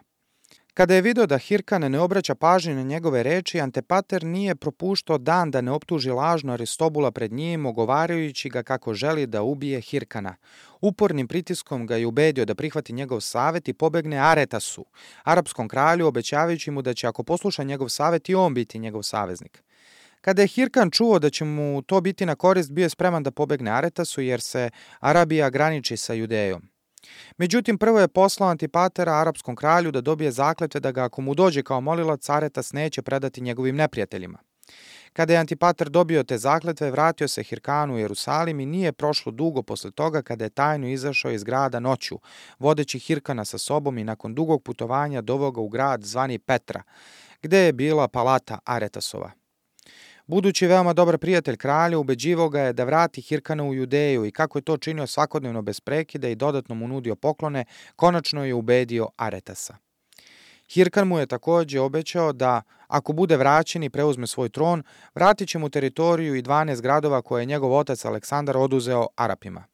Kada je video da Hirkan ne obraća pažnju na njegove reči, Antipater nije propuštao dan da ne optuži lažno Aristobula pred njim, ogovarajući ga kako želi da ubije Hirkana. Upornim pritiskom ga je ubedio da prihvati njegov savet i pobegne Aretasu, arapskom kralju, obećavajući mu da će ako posluša njegov savet i on biti njegov saveznik. Kada je Hirkan čuo da će mu to biti na korist, bio je spreman da pobegne Aretasu jer se Arabija graniči sa Judejom. Međutim, prvo je poslao Antipatera arapskom kralju da dobije zakletve da ga ako mu dođe kao molilac, Aretas neće predati njegovim neprijateljima. Kada je Antipater dobio te zakletve, vratio se Hirkanu u Jerusalim i nije prošlo dugo posle toga kada je tajno izašao iz grada noću, vodeći Hirkana sa sobom i nakon dugog putovanja doveo ga u grad zvani Petra, gde je bila palata Aretasova. Budući veoma dobar prijatelj kralja, ubeđivao ga je da vrati Hirkana u Judeju i kako je to činio svakodnevno bez prekida i dodatno mu nudio poklone, konačno je ubedio Aretasa. Hirkan mu je takođe obećao da, ako bude vraćen i preuzme svoj tron, vratit će mu teritoriju i 12 gradova koje je njegov otac Aleksandar oduzeo Arapima.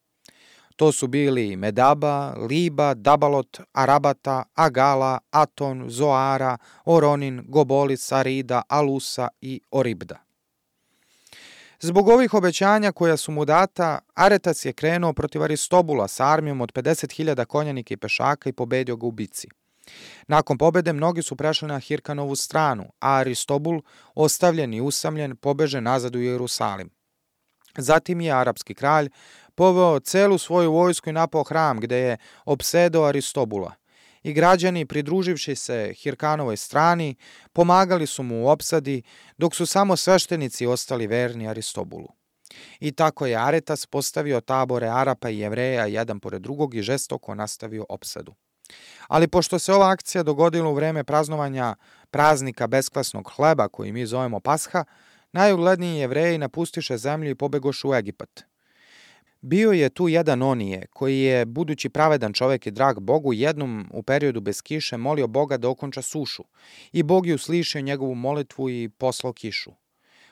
To su bili Medaba, Liba, Dabalot, Arabata, Agala, Aton, Zoara, Oronin, Gobolis, Sarida, Alusa i Oribda. Zbog ovih obećanja koja su mu data, Aretas je krenuo protiv Aristobula sa armijom od 50.000 konjanika i pešaka i pobedio ga u bici. Nakon pobede mnogi su prešli na Hirkanovu stranu, a Aristobul, ostavljen i usamljen, pobeže nazad u Jerusalim. Zatim je arapski kralj poveo celu svoju vojsku i napao hram gde je opsedao Aristobula. I građani, pridruživši se Hirkanovoj strani, pomagali su mu u opsadi, dok su samo sveštenici ostali verni Aristobulu. I tako je Aretas postavio tabore Arapa i Jevreja jedan pored drugog i žestoko nastavio opsadu. Ali pošto se ova akcija dogodila u vreme praznovanja praznika beskvasnog hleba, koji mi zovemo Pasha, najugledniji Jevreji napustiše zemlju i pobegoše u Egipat. Bio je tu jedan Onije, koji je, budući pravedan čovek i drag Bogu, jednom u periodu bez kiše molio Boga da okonča sušu, i Bog je uslišio njegovu molitvu i poslao kišu.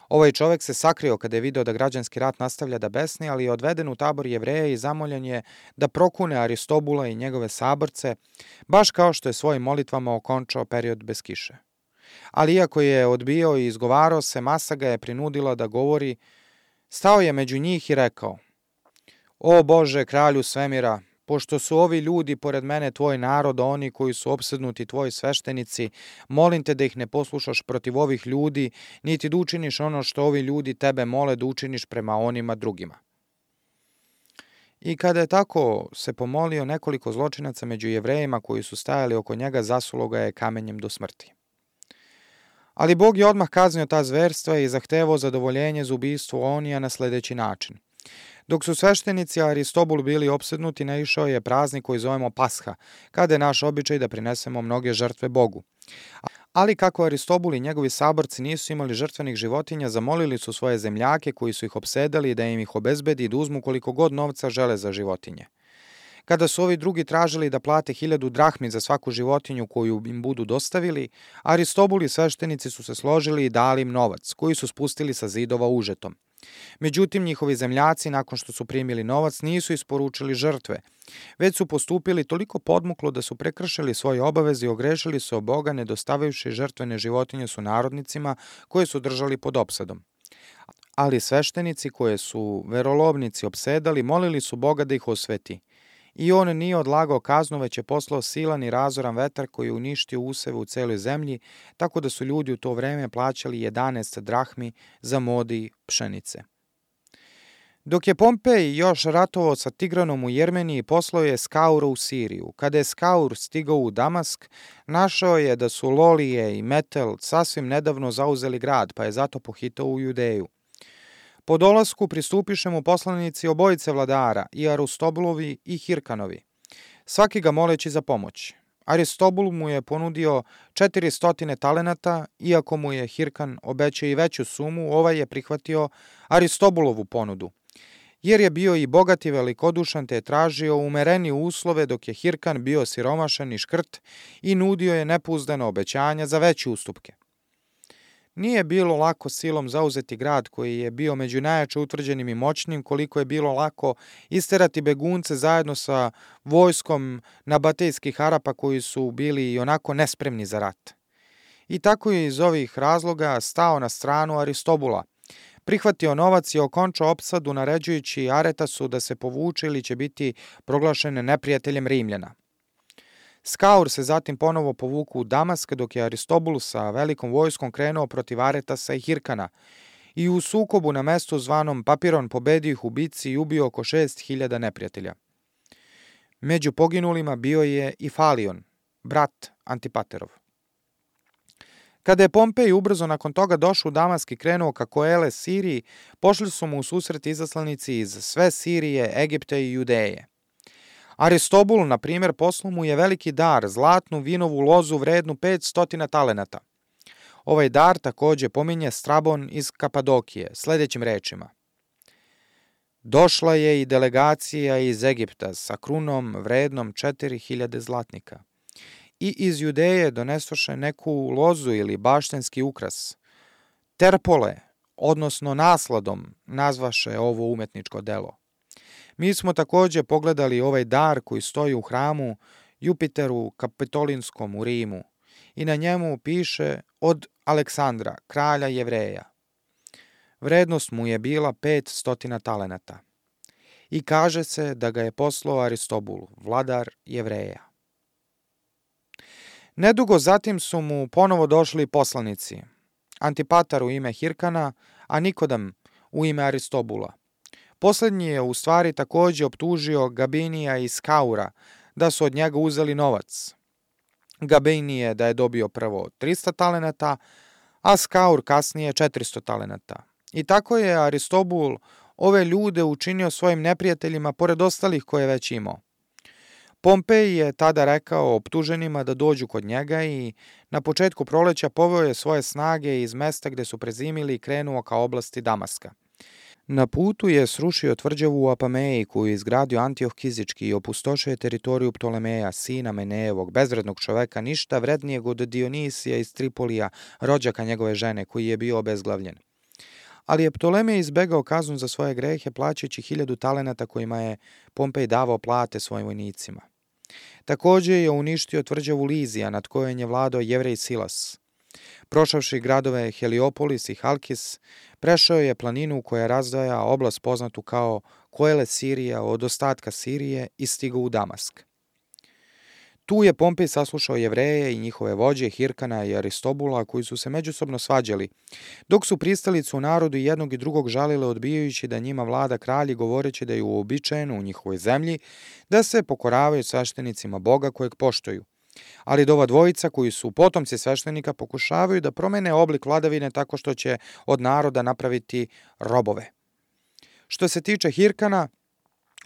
Ovaj čovek se sakrio kada je video da građanski rat nastavlja da besni, ali je odveden u tabor Jevreja i zamoljen je da prokune Aristobula i njegove saborce, baš kao što je svojim molitvama okončao period bez kiše. Ali iako je odbijao i izgovarao se, masa ga je prinudila da govori, stao je među njih i rekao: O Bože, kralju svemira, pošto su ovi ljudi pored mene tvoj narod, a oni koji su opsednuti tvoji sveštenici, molim te da ih ne poslušaš protiv ovih ljudi, niti da učiniš ono što ovi ljudi tebe mole da učiniš prema onima drugima. I kada je tako se pomolio, nekoliko zločinaca među Jevrejima koji su stajali oko njega zasulo ga je kamenjem do smrti. Ali Bog je odmah kaznio ta zverstva i zahtevao zadovoljenje za ubistvo Onija na sledeći način. Dok su sveštenici Aristobul bili opsednuti, naišao je praznik koji zovemo Pasha, kada je naš običaj da prinesemo mnoge žrtve Bogu. Ali kako Aristobul i njegovi saborci nisu imali žrtvenih životinja, zamolili su svoje zemljake koji su ih opsedali da im ih obezbedi i da uzmu koliko god novca žele za životinje. Kada su ovi drugi tražili da plate 1000 drahmi za svaku životinju koju im budu dostavili, Aristobul i sveštenici su se složili i dali im novac, koji su spustili sa zidova užetom. Međutim, njihovi zemljaci, nakon što su primili novac, nisu isporučili žrtve, već su postupili toliko podmuklo da su prekršili svoje obaveze i ogrešili se o Boga, ne dostavivši žrtvene životinje sunarodnicima koje su držali pod opsadom. Ali sveštenici koje su verolovnici opsedali, molili su Boga da ih osveti. I on nije odlagao kaznu, već je poslao silan i razoran vetar koji je uništio useve u celoj zemlji, tako da su ljudi u to vreme plaćali 11 drahmi za modi pšenice. Dok je Pompej još ratovao sa Tigranom u Jermeniji, poslao je Skaura u Siriju. Kada je Skaur stigao u Damask, našao je da su Lolije i Metel sasvim nedavno zauzeli grad, pa je zato pohitao u Judeju. Po dolasku pristupiše mu poslanici obojice vladara, i Aristobulovi i Hirkanovi, svaki ga moleći za pomoć. Aristobul mu je ponudio 400 talenata, iako mu je Hirkan obećao i veću sumu, ovaj je prihvatio Aristobulovu ponudu, jer je bio i bogat i velikodušan, te je tražio umerenije uslove, dok je Hirkan bio siromašan i škrt i nudio je nepouzdana obećanja za veće ustupke. Nije bilo lako silom zauzeti grad koji je bio među najjače utvrđenim i moćnim, koliko je bilo lako isterati begunce zajedno sa vojskom nabatejskih Arapa koji su bili i onako nespremni za rat. I tako je iz ovih razloga stao na stranu Aristobula, prihvatio novac i okončao opsadu naređujući Aretasu da se povuče ili će biti proglašen neprijateljem Rimljana. Skaur se zatim ponovo povuku u Damask, dok je Aristobul sa velikom vojskom krenuo protiv Aretasa i Hirkana i u sukobu na mestu zvanom Papiron pobedio ih u bici i ubio oko 6000 neprijatelja. Među poginulima bio je i Falion, brat Antipaterov. Kada je Pompej ubrzo nakon toga došao u Damask i krenuo ka Koele Siriji, pošli su mu u susret izaslanici iz sve Sirije, Egipta i Judeje. Aristobul, na primjer, poslao mu je veliki dar, zlatnu vinovu lozu vrednu 500 talenata. Ovaj dar takođe pominje Strabon iz Kapadokije, sledećim rečima. Došla je i delegacija iz Egipta sa krunom vrednom 4000 zlatnika. I iz Judeje donesoše neku lozu ili baštenski ukras. Terpole, odnosno nasladom, nazvaše ovo umetničko delo. Mi smo takođe pogledali ovaj dar koji stoji u hramu Jupiteru Kapitolinskom u Rimu i na njemu piše od Aleksandra, kralja Jevreja. Vrednost mu je bila 500 talenata. I kaže se da ga je poslao Aristobul, vladar Jevreja. Nedugo zatim su mu ponovo došli poslanici, Antipatar u ime Hirkana, a Nikodem u ime Aristobula. Poslednji je u stvari takođe optužio Gabinija i Skaura da su od njega uzeli novac. Gabinije da je dobio prvo 300 talenata, a Skaur kasnije 400 talenata. I tako je Aristobul ove ljude učinio svojim neprijateljima pored ostalih koje je već imao. Pompej je tada rekao optuženima da dođu kod njega i na početku proleća poveo je svoje snage iz mesta gde su prezimili i krenuo ka oblasti Damaska. Na putu je srušio tvrđavu u Apameji koju je izgradio Antioh Kizički i opustošio je teritoriju Ptolemeja, sina Menejevog, bezvrednog čoveka, ništa vrednijeg od Dionisija iz Tripolija, rođaka njegove žene, koji je bio obezglavljen. Ali je Ptolemej izbegao kaznu za svoje grehe plaćajući 1000 talenata kojima je Pompej davao plate svojim vojnicima. Takođe je uništio tvrđavu Lizija nad kojom je vladao Jevrej Silas. Prošavši gradove Heliopolis i Halkis, prešao je planinu koja razdvaja oblast poznatu kao Koele Sirija od ostatka Sirije i stigao u Damask. Tu je Pompej saslušao Jevreje i njihove vođe Hirkana i Aristobula koji su se međusobno svađali, dok su pristalice u narodu jednog i drugog žalile odbijajući da njima vlada kralj i govoreći da je uobičajeno u njihovoj zemlji da se pokoravaju sveštenicima Boga kojeg poštuju. Ali da ova dvojica koji su potomci sveštenika pokušavaju da promene oblik vladavine tako što će od naroda napraviti robove. Što se tiče Hirkana,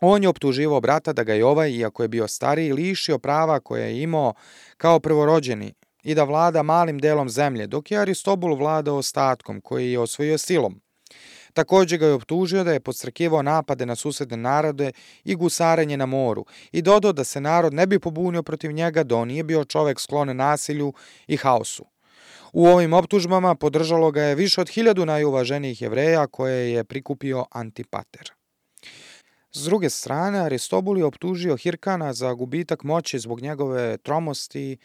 on je optuživao brata da ga je ovaj, iako je bio stariji, lišio prava koje je imao kao prvorođeni i da vlada malim delom zemlje, dok je Aristobul vladao ostatkom koji je osvojio silom. Takođe ga je optužio da je podstrekivao napade na susedne narode i gusarenje na moru i dodao da se narod ne bi pobunio protiv njega da on nije bio čovek sklon nasilju i haosu. U ovim optužbama podržalo ga je više od 1000 najuvaženijih Jevreja koje je prikupio Antipater. S druge strane, Aristobul je optužio Hirkana za gubitak moći zbog njegove tromosti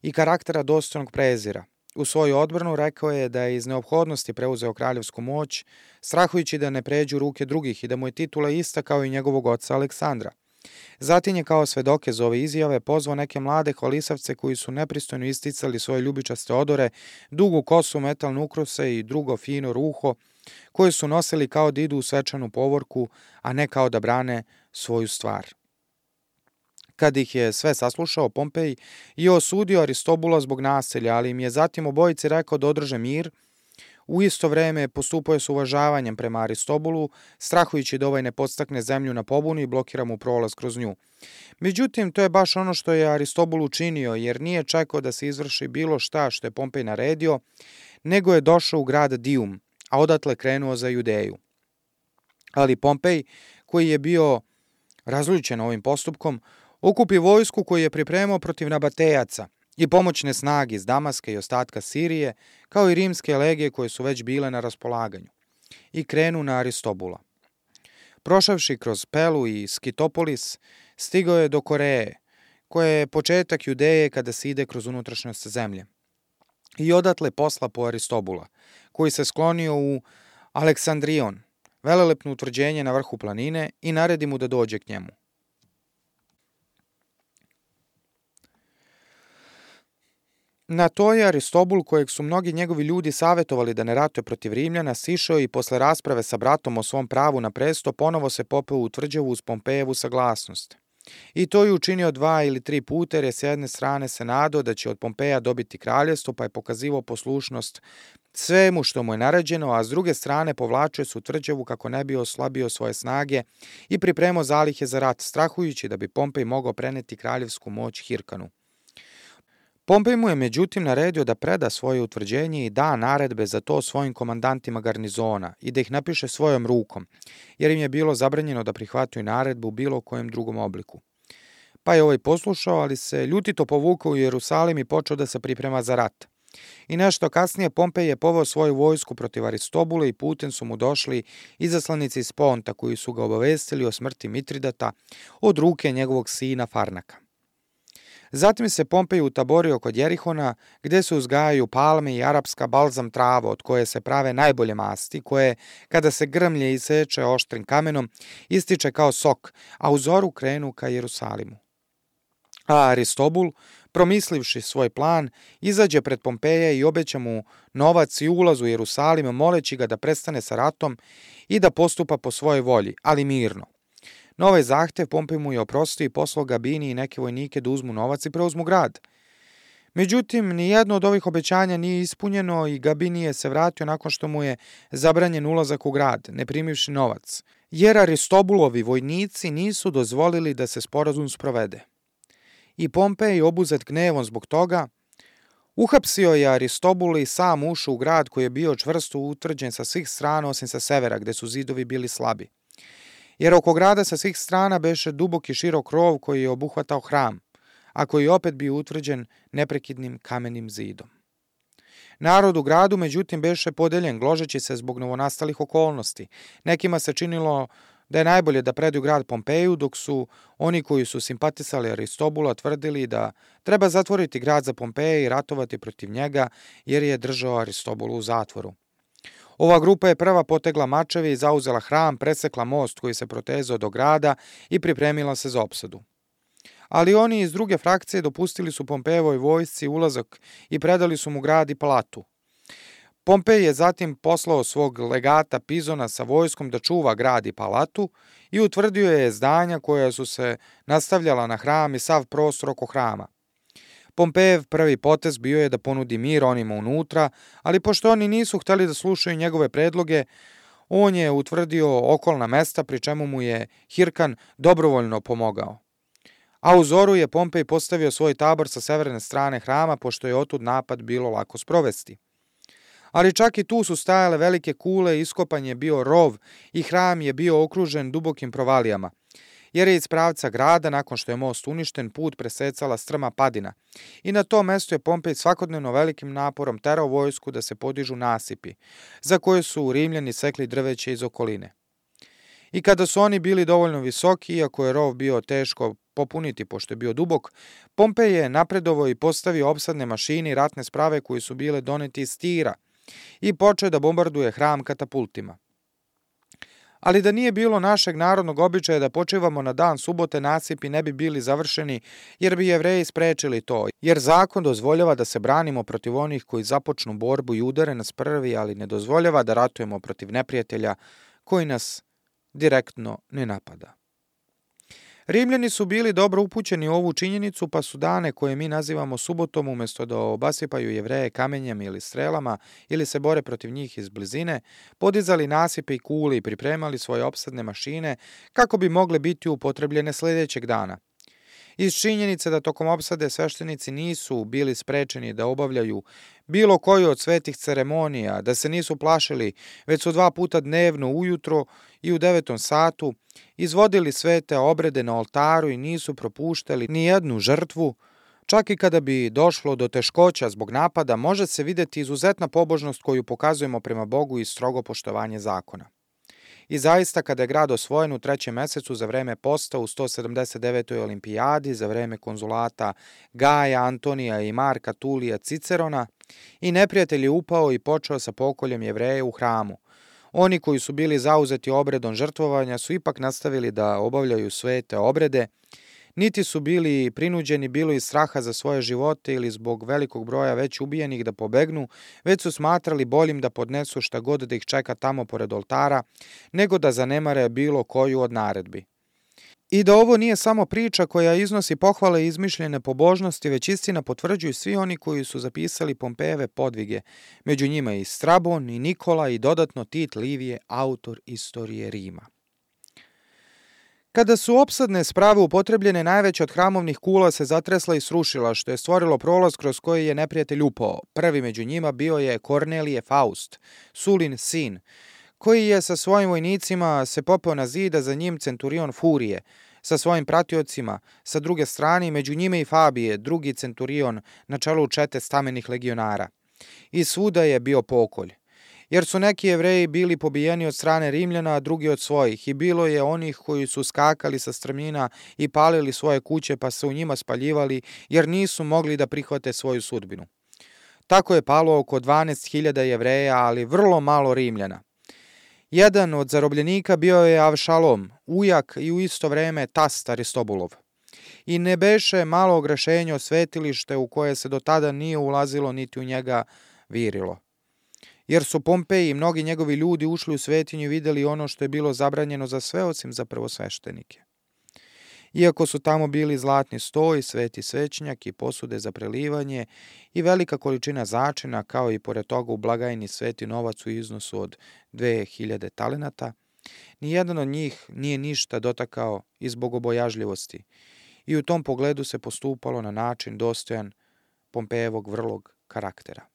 i karaktera dostojnog prezira. U svoju odbranu rekao je da je iz neophodnosti preuzeo kraljevsku moć, strahujući da ne pređu ruke drugih i da mu je titula ista kao i njegovog oca Aleksandra. Zatim je kao svedoke za ove izjave pozvao neke mlade hvalisavce koji su nepristojno isticali svoje ljubičaste odore, dugu kosu, metalne ukrose i drugo fino ruho, koje su nosili kao da idu u svečanu povorku, a ne kao da brane svoju stvar. Kad ih je sve saslušao, Pompej je osudio Aristobula zbog nasilja, ali im je zatim obojici rekao da održe mir. U isto vreme postupao je s uvažavanjem prema Aristobulu, strahujući da ovaj ne podstakne zemlju na pobunu i blokira mu prolaz kroz nju. Međutim, to je baš ono što je Aristobul učinio, jer nije čekao da se izvrši bilo šta što je Pompej naredio, nego je došao u grad Dium, a odatle krenuo za Judeju. Ali Pompej, koji je bio razljućen ovim postupkom, okupi vojsku koju je pripremao protiv nabatejaca i pomoćne snage iz Damaska i ostatka Sirije, kao i rimske legije koje su već bile na raspolaganju, i krenu na Aristobula. Prošavši kroz Pelu i Skitopolis, stigao je do Koreje, koja je početak Judeje kada se ide kroz unutrašnjost zemlje. I odatle posla po Aristobula, koji se sklonio u Aleksandrion, velelepno utvrđenje na vrhu planine, i naredi mu da dođe k njemu. Na to je Aristobul, kojeg su mnogi njegovi ljudi savetovali da ne ratuje protiv Rimljana, sišao i posle rasprave sa bratom o svom pravu na presto ponovo se popeo u tvrđavu uz Pompejevu saglasnost. I to je učinio 2 ili 3 puta, jer je s jedne strane se nadao da će od Pompeja dobiti kraljevstvo, pa je pokazivao poslušnost svemu što mu je naređeno, a s druge strane povlačio se u tvrđavu kako ne bi oslabio svoje snage i pripremao zalihe za rat, strahujući da bi Pompej mogao preneti kraljevsku moć Hirkanu. Pompej mu je međutim naredio da preda svoje utvrđenje i da naredbe za to svojim komandantima garnizona i da ih napiše svojom rukom, jer im je bilo zabranjeno da prihvataju naredbu u bilo kojem drugom obliku. Pa je ovaj poslušao, ali se ljutito povukao u Jerusalim i počeo da se priprema za rat. I nešto kasnije Pompej je poveo svoju vojsku protiv Aristobula i putem su mu došli izaslanici iz Ponta koji su ga obavestili o smrti Mitridata od ruke njegovog sina Farnaka. Zatim se Pompej utaborio kod Jerihona, gde se uzgajaju palme i arapska balzam trava od koje se prave najbolje masti, koje, kada se grmlje iseče oštrim kamenom, ističe kao sok, a u zoru krenu ka Jerusalimu. A Aristobul, promislivši svoj plan, izađe pred Pompeja i obeća mu novac i ulaz u Jerusalim, moleći ga da prestane sa ratom i da postupa po svojoj volji, ali mirno. Na ovaj zahtev Pompej mu je oprostio i poslao Gabini i neke vojnike da uzmu novac i preuzmu grad. Međutim, nijedno od ovih obećanja nije ispunjeno i Gabinije se vratio nakon što mu je zabranjen ulazak u grad, ne primivši novac, jer Aristobulovi vojnici nisu dozvolili da se sporazum sprovede. I Pompej, obuzet gnevom zbog toga, uhapsio je Aristobula i sam ušao u grad koji je bio čvrsto utvrđen sa svih strana osim sa severa, gde su zidovi bili slabi. Jer oko grada sa svih strana beše dubok i širok rov koji je obuhvatao hram, a koji je opet bio utvrđen neprekidnim kamenim zidom. Narod u gradu, međutim, beše podeljen, gložeći se zbog novonastalih okolnosti. Nekima se činilo da je najbolje da predaju grad Pompeju, dok su oni koji su simpatisali Aristobula tvrdili da treba zatvoriti grad za Pompeja i ratovati protiv njega, jer je držao Aristobula u zatvoru. Ova grupa je prva potegla mačeve i zauzela hram, presekla most koji se protezao do grada i pripremila se za opsadu. Ali oni iz druge frakcije dopustili su Pompejevoj vojsci ulazak i predali su mu grad i palatu. Pompej je zatim poslao svog legata Pizona sa vojskom da čuva grad i palatu i utvrdio je zdanja koja su se nastavljala na hram i sav prostor oko hrama. Pompejev prvi potez bio je da ponudi mir onima unutra, ali pošto oni nisu hteli da slušaju njegove predloge, on je utvrdio okolna mesta, pri čemu mu je Hirkan dobrovoljno pomogao. A u zoru je Pompej postavio svoj tabor sa severne strane hrama, pošto je otud napad bilo lako sprovesti. Ali čak i tu su stajale velike kule, iskopan je bio rov i hram je bio okružen dubokim provalijama, jer je iz pravca grada, nakon što je most uništen, put presecala strma padina. I na tom mestu je Pompej svakodnevno velikim naporom terao vojsku da se podižu nasipi, za koje su Rimljani sekli drveće iz okoline. I kada su oni bili dovoljno visoki, iako je rov bio teško popuniti pošto je bio dubok, Pompej je napredovao i postavio opsadne mašine i ratne sprave koje su bile doneti iz Tira i počeo da bombarduje hram katapultima. Ali da nije bilo našeg narodnog običaja da počivamo na dan subote, nasipi ne bi bili završeni, jer bi Jevreji sprečili to, jer zakon dozvoljava da se branimo protiv onih koji započnu borbu i udare nas prvi, ali ne dozvoljava da ratujemo protiv neprijatelja koji nas direktno ne napada. Rimljani su bili dobro upućeni u ovu činjenicu, pa su dane koje mi nazivamo subotom, umjesto da obasipaju Jevreje kamenjem ili strelama ili se bore protiv njih iz blizine, podizali nasipe i kule i pripremali svoje opsadne mašine kako bi mogle biti upotrebljene sljedećeg dana. Iz činjenice da tokom opsade sveštenici nisu bili sprečeni da obavljaju bilo koju od svetih ceremonija, da se nisu plašili, već su 2 puta dnevno ujutro i u 9 satu izvodili svete obrede na oltaru i nisu propuštali ni jednu žrtvu, čak i kada bi došlo do teškoća zbog napada, može se vidjeti izuzetna pobožnost koju pokazujemo prema Bogu i strogo poštovanje zakona. I zaista, kada je grad osvojen u 3. mesecu za vreme posta u 179. olimpijadi, za vreme konzulata Gaja, Antonija i Marka Tulija Cicerona, i neprijatelj je upao i počeo sa pokoljem Jevreja u hramu. Oni koji su bili zauzeti obredom žrtvovanja su ipak nastavili da obavljaju svete obrede, niti su bili prinuđeni bilo iz straha za svoje živote ili zbog velikog broja već ubijenih da pobegnu, već su smatrali boljim da podnesu šta god da ih čeka tamo pored oltara, nego da zanemare bilo koju od naredbi. I da ovo nije samo priča koja iznosi pohvale i izmišljene pobožnosti, već istina potvrđuju svi oni koji su zapisali Pompejeve podvige, među njima i Strabon, i Nikola, i dodatno Tit Livije, autor istorije Rima. Kada su opsadne sprave upotrebljene, najveća od hramovnih kula se zatresla i srušila, što je stvorilo prolaz kroz koji je neprijatelj upao. Prvi među njima bio je Kornelije Faust, Sulin sin, koji je sa svojim vojnicima se popeo na zid, a za njim centurion Furije, sa svojim pratiocima, sa druge strane, među njime i Fabije, drugi centurion na čelu čete stamenih legionara. I svuda je bio pokolj. Jer su neki Jevreji bili pobijeni od strane Rimljana, a drugi od svojih, i bilo je onih koji su skakali sa strmina i palili svoje kuće pa se u njima spaljivali, jer nisu mogli da prihvate svoju sudbinu. Tako je palo oko 12.000 Jevreja, ali vrlo malo Rimljana. Jedan od zarobljenika bio je Avšalom, ujak i u isto vreme tast Aristobulov. I ne beše malo ogrešenje o svetilište u koje se do tada nije ulazilo niti u njega virilo. Jer su Pompeji i mnogi njegovi ljudi ušli u svetinju i vidjeli ono što je bilo zabranjeno za sve osim za prvosveštenike. Iako su tamo bili zlatni stoj, sveti svećnjak i posude za prelivanje i velika količina začina, kao i pored toga u blagajni sveti novac u iznosu od 2000 talenata, nijedan od njih nije ništa dotakao iz bogobojažljivosti i u tom pogledu se postupalo na način dostojan Pompejevog vrlog karaktera.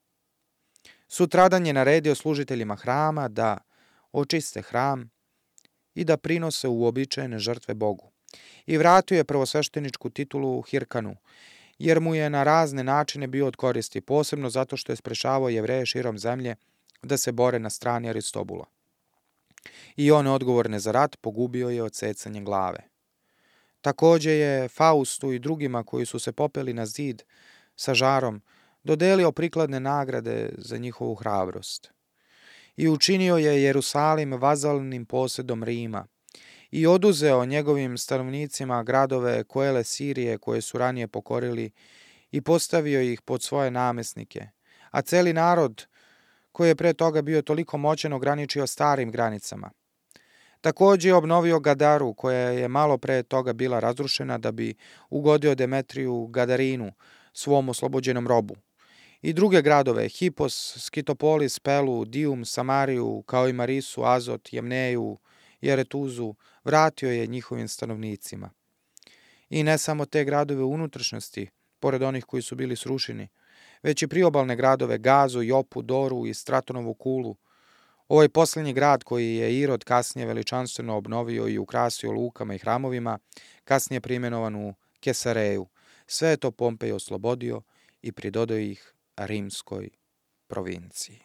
Sutradan je naredio služiteljima hrama da očiste hram i da prinose uobičajene žrtve Bogu. I vratio je prvosvešteničku titulu Hirkanu, jer mu je na razne načine bio od koristi, posebno zato što je sprečavao Jevreje širom zemlje da se bore na strani Aristobula. I one odgovorne za rat pogubio je odsecanjem glave. Također je Faustu i drugima koji su se popeli na zid sa žarom dodelio prikladne nagrade za njihovu hrabrost. I učinio je Jerusalim vazalnim posjedom Rima i oduzeo njegovim stanovnicima gradove Koele Sirije koje su ranije pokorili i postavio ih pod svoje namesnike, a celi narod koji je pre toga bio toliko moćan ograničio starim granicama. Također je obnovio Gadaru, koja je malo pre toga bila razrušena da bi ugodio Demetriju Gadarinu, svom oslobođenom robu. I druge gradove, Hipos, Skitopolis, Pelu, Dium, Samariju, kao i Marisu, Azot, Jemneju i Aretuzu, vratio je njihovim stanovnicima. I ne samo te gradove u unutrašnjosti, pored onih koji su bili srušeni, već i priobalne gradove Gazu, Jopu, Doru i Stratonovu kulu. Ovaj posljednji grad koji je Irod kasnije veličanstveno obnovio i ukrasio lukama i hramovima, kasnije primenovan u Kesareju. Sve je to Pompej oslobodio i pridodao ih rimskoj provinciji.